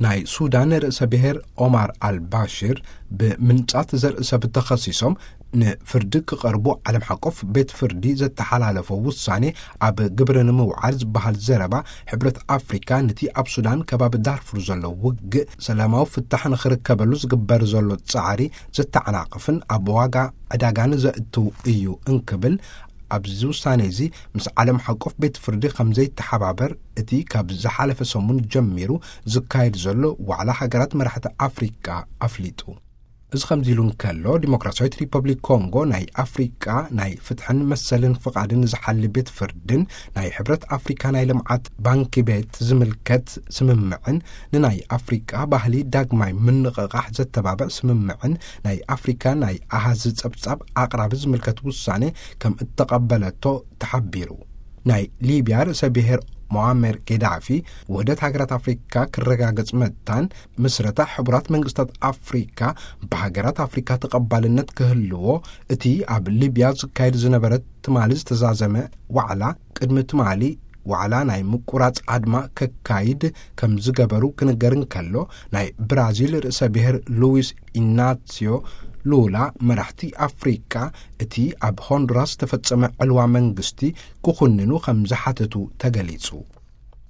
ናይ ሱዳን ርእሰ ብሔር ኦማር ኣልባሽር ብምንጻት ዘርኢ ሰብ ተኸሲሶም ንፍርዲ ክቐርቡ ዓለም ሓቆፍ ቤት ፍርዲ ዘተሓላለፎ ውሳኔ ኣብ ግብሪ ንምውዓል ዝበሃል ዘረባ፣ ሕብረት ኣፍሪካ ነቲ ኣብ ሱዳን ከባቢ ዳርፉር ዘሎ ውግእ ሰላማዊ ፍታሕ ንኽርከበሉ ዝግበር ዘሎ ጻዕሪ ዘተዓናቕፍን ኣብ ዋጋ ዕዳጋን ዘእትው እዩ እንክብል፣ ኣብዚ ውሳኔ እዚ ምስ ዓለም ሓቆፍ ቤት ፍርዲ ከም ዘይተሓባበር እቲ ካብ ዝሓለፈ ሰሙን ጀሚሩ ዝካየድ ዘሎ ዋዕላ ሃገራት መራሕቲ ኣፍሪቃ ኣፍሊጡ። እዚ ከምዚ ኢሉ እንከሎ፣ ዲሞክራሲያዊት ሪፐብሊክ ኮንጎ ናይ ኣፍሪቃ ናይ ፍትሕን መሰልን ፍቓድን ዝሓሊ ቤት ፍርድን ናይ ሕብረት ኣፍሪካ ናይ ልምዓት ባንኪ ቤት ዝምልከት ስምምዕን ንናይ ኣፍሪቃ ባህሊ ዳግማይ ምንቕቓሕ ዘተባብዕ ስምምዕን ናይ ኣፍሪካ ናይ ኣሃዝ ጸብጻብ ኣቕራቢ ዝምልከት ውሳኔ ከም እተቐበለቶ ተሓቢሩ። ናይ ሊብያ ርእሰ ብሔር ሞኣመር ጌዳፊ፣ ውህደት ሃገራት ኣፍሪካ ክረጋገጽ መታን ምስረታ ሕቡራት መንግስታት ኣፍሪካ ብሃገራት ኣፍሪካ ተቐባልነት ክህልዎ፣ እቲ ኣብ ሊብያ ዝካየድ ዝነበረ ትማሊ ዝተዛዘመ ዋዕላ፣ ቅድሚ ትማሊ ዋዕላ ናይ ምቁራጽ ኣድማ ከካይድ ከም ዝገበሩ ክንገር እንከሎ፣ ናይ ብራዚል ርእሰ ብሔር ሉዊስ ኢናሲዮ ሉላ መራሕቲ ኣፍሪካ እቲ ኣብ ሆንዱራስ ዝተፈጸመ ዕልዋ መንግስቲ ክኹንኑ ከም ዝሓተቱ ተገሊጹ።